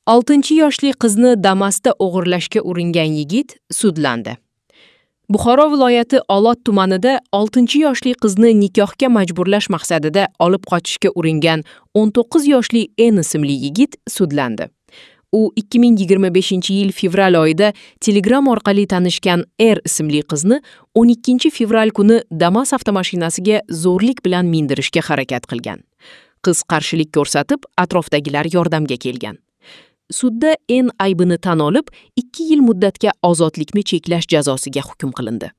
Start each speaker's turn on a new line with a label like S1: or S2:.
S1: 6-yoshli qizni Damas'da o'g'irlashga uringan yigit sudlandi. Buxoro viloyati Olot tumanida 6-yoshli qizni nikohga majburlash maqsadida olib qochishga uringan 19 yoshli N ismli yigit sudlandi. U 2025-yil fevral oyida Telegram orqali tanishgan R ismli qizni 12-fevral kuni Damas avtomashinasiga zo'rlik bilan mindirishga harakat qilgan. Qiz qarshilik ko'rsatib, atrofdagilar yordamga kelgan. Sudda N aybini tan olib, 2 yil muddatga ozodlikni cheklash jazosiga hukm qilindi.